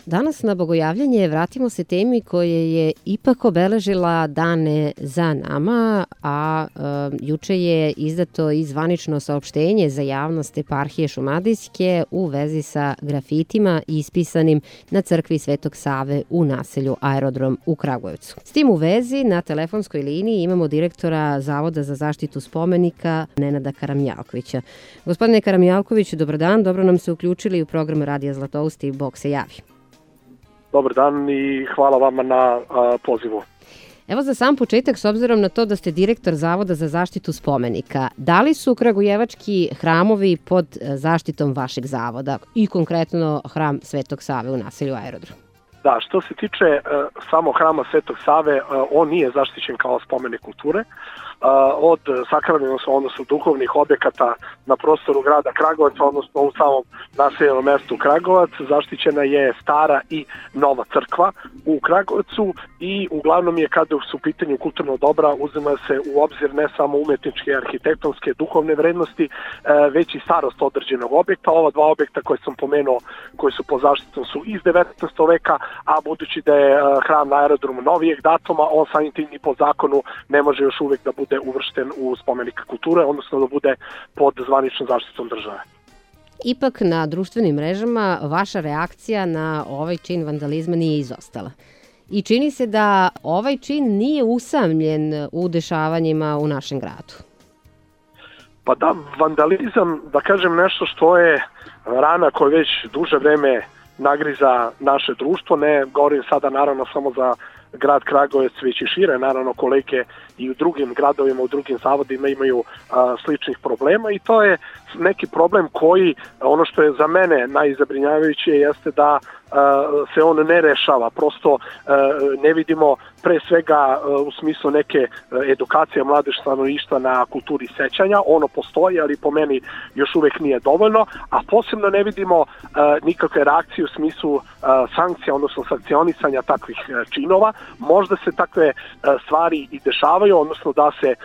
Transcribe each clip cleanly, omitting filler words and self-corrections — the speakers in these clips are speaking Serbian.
Danas na Bogojavljanje vratimo se temi koje je ipak obeležila dane za nama, a juče je izdato i zvanično saopštenje za javnost Eparhije Šumadijske u vezi sa grafitima ispisanim na crkvi Svetog Save u naselju Aerodrom u Kragujevcu. S tim u vezi na telefonskoj liniji imamo direktora Zavoda za zaštitu spomenika Nenada Karamjalkovića. Gospodine Karamjalkoviću, dobar dan, dobro nam se uključili u program Radija Zlatousti, Bog se javi. Dobar dan i hvala vama na pozivu. Evo za sam početak, s obzirom na to da ste direktor Zavoda za zaštitu spomenika, da li su kragujevački hramovi pod zaštitom vašeg zavoda i konkretno hram Svetog Save u naselju Aerodrom? Da, što se tiče samo hrama Svetog Save, on nije zaštićen kao spomenik kulture. Od sakralnih, odnosno duhovnih objekata na prostoru grada Kragujevca, odnosno u samom naseljenom mestu Kragujevac, zaštićena je stara i nova crkva u Kragujevcu i uglavnom je kada su u pitanju kulturno dobra uzima se u obzir ne samo umetničke, arhitektonske, duhovne vrednosti, već i starost određenog objekta. Ova dva objekta koje sam pomenuo, koji su pod zaštitom, su iz 19. veka, a budući da je hram na Aerodromu novijeg datuma, on samim tim i po zakonu ne može još uvek da bude uvršten u spomenik kulture, odnosno da bude pod zvaničnom zaštitom države. Ipak na društvenim mrežama vaša reakcija na ovaj čin vandalizma nije izostala. I čini se da ovaj čin nije usamljen u dešavanjima u našem gradu. Pa da, vandalizam, da kažem nešto što je rana koja već duže vreme nagriza naše društvo, ne govorim sada naravno samo za grad Kragujevac, već i šire, naravno kolege i u drugim gradovima, u drugim zavodima imaju sličnih problema i to je neki problem koji, ono što je za mene najzabrinjavajuće jeste da se on ne rešava, prosto ne vidimo pre svega u smislu neke edukacije mladež stanovništva na kulturi sećanja, ono postoji, ali po meni još uvek nije dovoljno, a posebno ne vidimo nikakve reakcije u smislu sankcija, odnosno sankcionisanja takvih činova. Možda se takve stvari i dešavaju, odnosno da se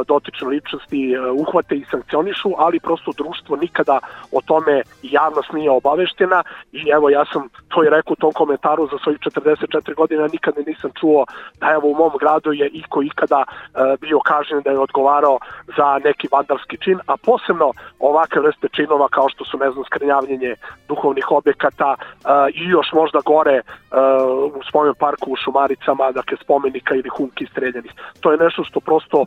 dotične ličnosti uhvate i sankcionišu, ali prosto društvo nikada o tome javnost nije obaveštena i evo ja sam to i rekao u tom komentaru, za svojih 44 godina nikada nisam čuo da evo u mom gradu je iko ikada bio kažnjen da je odgovarao za neki vandalski čin, a posebno ovakve vrste činova kao što su, ne znam, skrnjavljenje duhovnih objekata i još možda gore u spomen parku u Šumaricama, dakle spomenika ili humki streljanih. To je nešto što prosto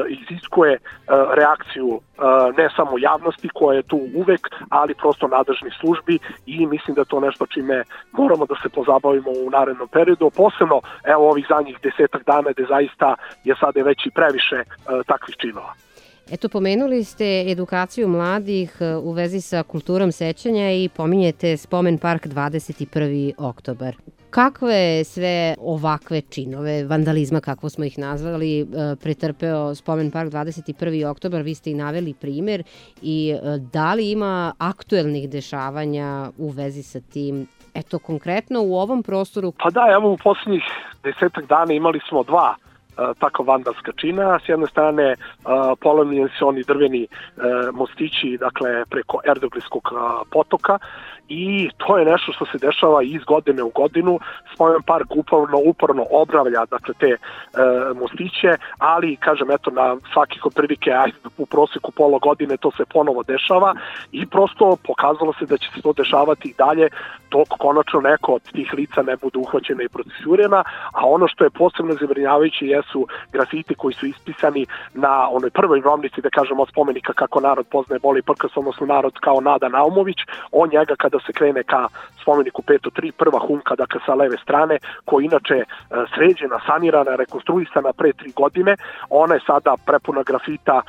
iziskuje reakciju ne samo javnosti koja je tu uvek, ali prosto nadležnih službi i mislim da to nešto čime moramo da se pozabavimo u narednom periodu, posebno evo ovih zadnjih 10 dana gde zaista je sada već i previše takvih činova. Eto, pomenuli ste edukaciju mladih u vezi sa kulturom sećanja i pominjete spomen park 21. oktobar. Kakve sve ovakve činove, vandalizma kako smo ih nazvali, pretrpeo spomen park 21. oktobar, vi ste i naveli primer i da li ima aktuelnih dešavanja u vezi sa tim? Eto, konkretno u ovom prostoru. Pa da, evo u posljednjih 10 dana imali smo dva tako vandalska čina. S jedne strane polomljeni su oni drveni mostići, dakle preko Erdoglijskog potoka i to je nešto što se dešava iz godine u godinu. Spomen park uporno obnavlja dakle te mostiće, ali kažem eto na svakih otprilike u proseku pola godine to se ponovo dešava i prosto pokazalo se da će se to dešavati i dalje dok konačno neko od tih lica ne bude uhvaćena i procesuirana, a ono što je posebno zabrinjavajuće jesu grafiti koji su ispisani na onoj prvoj grovnici, da kažem, od spomenika kako narod poznaje Boli Prkas, odnosno narod kao Nada Naumović. On njega kada se krene ka spomeniku 503, prva humka, dakle sa leve strane, koja inače sređena, sanirana, rekonstruisana pre 3 godine, ona je sada prepuna grafita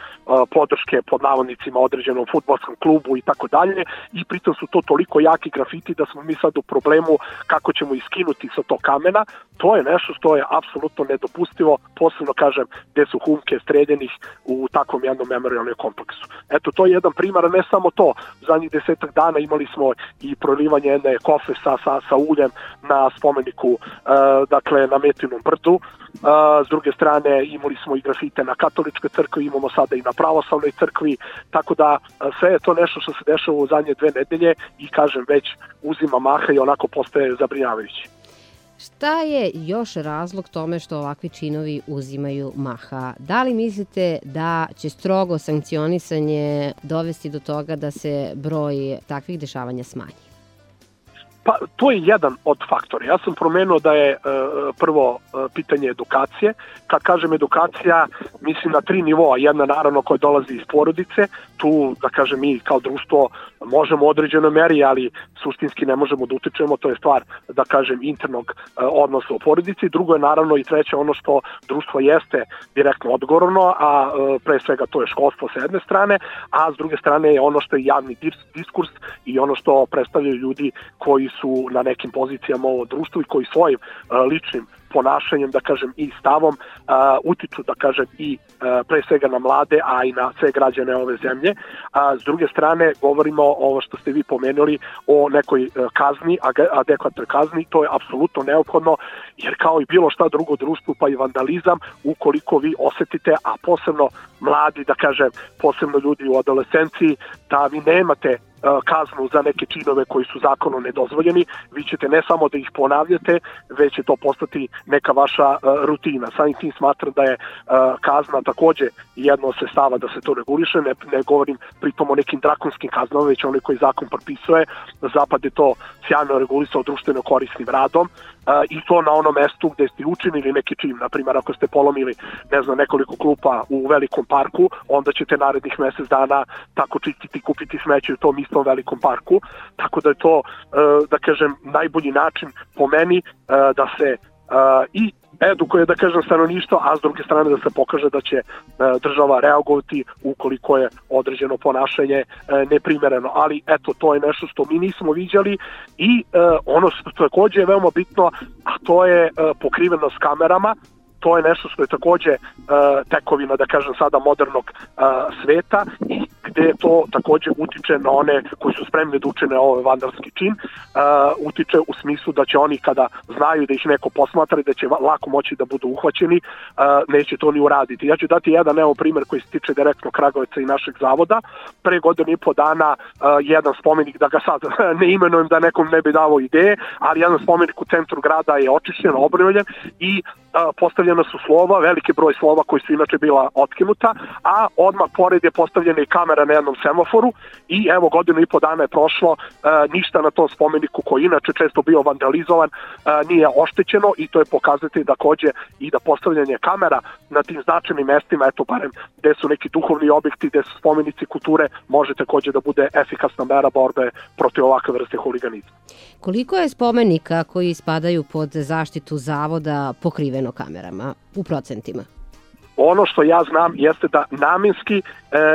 podrške pod navodnicima određenom fudbalskom klubu i tako dalje i pritom su to toliko jaki grafiti da smo mi sad u problemu kako ćemo iskinuti sa tog kamena. To je nešto što je apsolutno nedopustivo posebno kažem gde su humke streljenih u takvom jednom memorialnom kompleksu. Eto, to je jedan primjer, ne samo to, zadnjih 10 dana imali smo i prolivanje jedne kofe sa uljem na spomeniku, dakle na Metinom brdu. S druge strane imali smo i grafite na katoličkoj crkvi, imamo sada i na pravoslavnoj crkvi, tako da sve je to nešto što se dešava u zadnje 2 nedelje i kažem već uzima maha i onako postaje zabrinjavajući. Šta je još razlog tome što ovakvi činovi uzimaju maha? Da li mislite da će strogo sankcionisanje dovesti do toga da se broj takvih dešavanja smanji? Pa, to je jedan od faktora. Ja sam promenuo da je prvo pitanje edukacije. Kad kažem edukacija, mislim na 3 nivoa. Jedna naravno koja dolazi iz porodice. Tu, da kažem, mi kao društvo možemo u određenoj meri, ali suštinski ne možemo da utičemo. To je stvar, da kažem, internog odnosa u porodici. Drugo je naravno i treće ono što društvo jeste direktno odgovorno, a pre svega to je školstvo sa jedne strane, a s druge strane je ono što je javni diskurs i ono što predstavljaju ljudi koji su na nekim pozicijama u društvu i koji svojim ličnim ponašanjem, da kažem, i stavom utiču, da kažem, i pre svega na mlade, a i na sve građane ove zemlje. S druge strane, govorimo ovo što ste vi pomenuli o nekoj kazni, adekvatnoj kazni, to je apsolutno neophodno, jer kao i bilo šta drugo društvu, pa i vandalizam, ukoliko vi osetite, a posebno mladi, da kažem, posebno ljudi u adolescenciji, da vi nemate kaznu za neke činove koji su zakonom nedozvoljeni, vi ćete ne samo da ih ponavljate, već će to postati neka vaša rutina. Samim tim smatram da je kazna takođe jedno od sredstava da se to reguliše, ne govorim pritom o nekim drakonskim kaznama, već onaj koji zakon propisuje. Zapad je to sjajno regulisao društveno korisnim radom i to na onom mestu gde ste učinili neki čin. Naprimjer, ako ste polomili, ne znam, nekoliko klupa u velikom parku, onda ćete narednih mesec dana tako čistiti i kupiti smeće u tom istom velikom parku. Tako da je to, da kažem, najbolji način po meni da se i edukuje, da kažem, stanovništvo, a s druge strane da se pokaže da će država reagovati ukoliko je određeno ponašanje neprimereno. Ali eto, to je nešto što mi nismo viđali i ono što takođe je veoma bitno, a to je pokrivenost kamerama. To je nešto što je takođe tekovina, da kažem sada, modernog sveta i gde to takođe utiče na one koji su spremni da učine ovaj vandalski čin, utiče u smislu da će oni kada znaju da ih neko posmatra i da će lako moći da budu uhvaćeni, neće to ni uraditi. Ja ću dati jedan primer koji se tiče direktno Kragujevca i našeg zavoda. Pre 1,5 dana jedan spomenik, da ga sad ne imenujem da nekom ne bi davo ideje, ali jedan spomenik u centru grada je očišćen, obnovljen i postavljena su slova, veliki broj slova koji su inače bila otkinuta, a odmah pored je postavljena i kamera na jednom semaforu i evo 1,5 dana je prošlo, ništa na tom spomeniku koji inače često bio vandalizovan nije oštećeno i to je pokazatelj takođe i da postavljanje kamera na tim značajnim mestima, eto barem gde su neki duhovni objekti, gde su spomenici kulture, može takođe da bude efikasna mera borbe protiv ovakve vrste huliganizma. Koliko je spomenika koji spadaju pod zaštitu zavoda pokriveno kamerama u procentima? Ono što ja znam jeste da namenski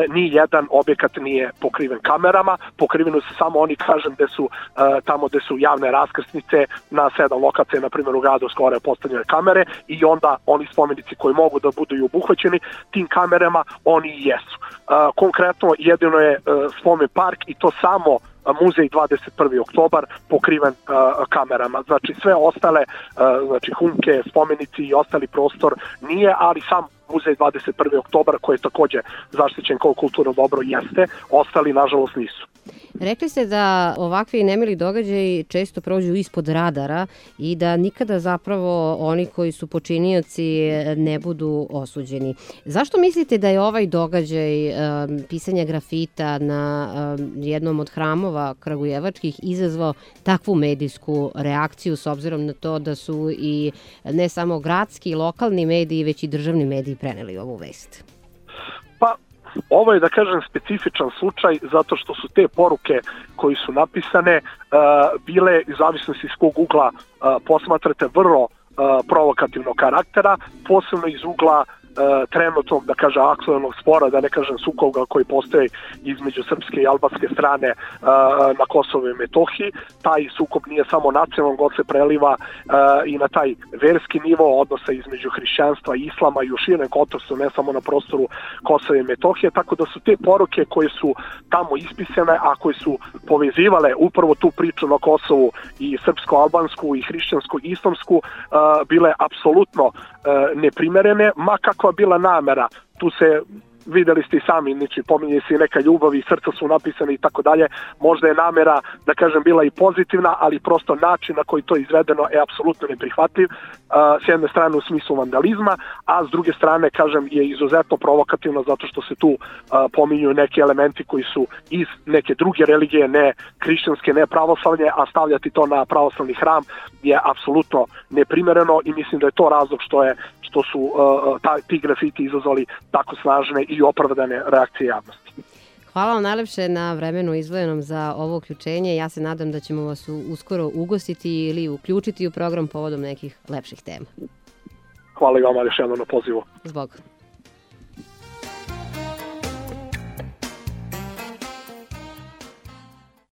ni jedan objekat nije pokriven kamerama, pokriveni su samo oni, kažem, gde su tamo gde su javne raskrsnice na 7 lokacija, na primjer u gradu skoro postavljene kamere i onda oni spomenici koji mogu da budu i obuhvaćeni tim kamerama, oni i jesu. Konkretno jedino je spomen park i to samo muzej 21. oktobar pokriven kamerama. Znači sve ostale, znači humke, spomenici i ostali prostor nije, ali sam muzej 21. oktobar koji je takođe zaštićen kao kulturno dobro jeste, ostali nažalost nisu. Rekli ste da ovakvi nemili događaji često prođu ispod radara i da nikada zapravo oni koji su počinioci ne budu osuđeni. Zašto mislite da je ovaj događaj pisanja grafita na jednom od hramova kragujevačkih izazvao takvu medijsku reakciju s obzirom na to da su i ne samo gradski i lokalni mediji, već i državni mediji preneli ovu vest? Pa, ovo je, da kažem, specifičan slučaj zato što su te poruke koji su napisane bile, iz zavisnosti iz kog ugla posmatrate, vrlo provokativnog karaktera, posebno iz ugla trenutnog, da kažem, aktualnog spora, da ne kažem sukoba koji postoji između srpske i albanske strane na Kosovu i Metohiji. Taj sukob nije samo nacionalnog, on se preliva i na taj verski nivo odnosa između hrišćanstva i islama i u širem kontekstu, ne samo na prostoru Kosova i Metohije, tako da su te poruke koje su tamo ispisane, a koje su povezivale upravo tu priču na Kosovu i srpsko-albansku i hrišćansku i islamsku bile apsolutno neprimerene, ma kakva bila namera. Tu se videli ste i sami, znači pominje se i neka ljubav i srca su napisane i tako dalje. Možda je namera, da kažem, bila i pozitivna, ali prosto način na koji to je izvedeno je apsolutno neprihvatljiv. S jedne strane u smislu vandalizma, a s druge strane, kažem, je izuzetno provokativno zato što se tu pominju neki elementi koji su iz neke druge religije, ne hrišćanske, ne pravoslavlje, a stavljati to na pravoslavni hram je apsolutno neprimereno i mislim da je to razlog što su ti grafiti izazvali tako snažne i opravdane reakcije javnosti. Hvala vam najlepše na vremenu izdvojenom za ovo uključenje. Ja se nadam da ćemo vas uskoro ugostiti ili uključiti u program povodom nekih lepših tema. Hvala i vama još jednom na pozivu. Zbog.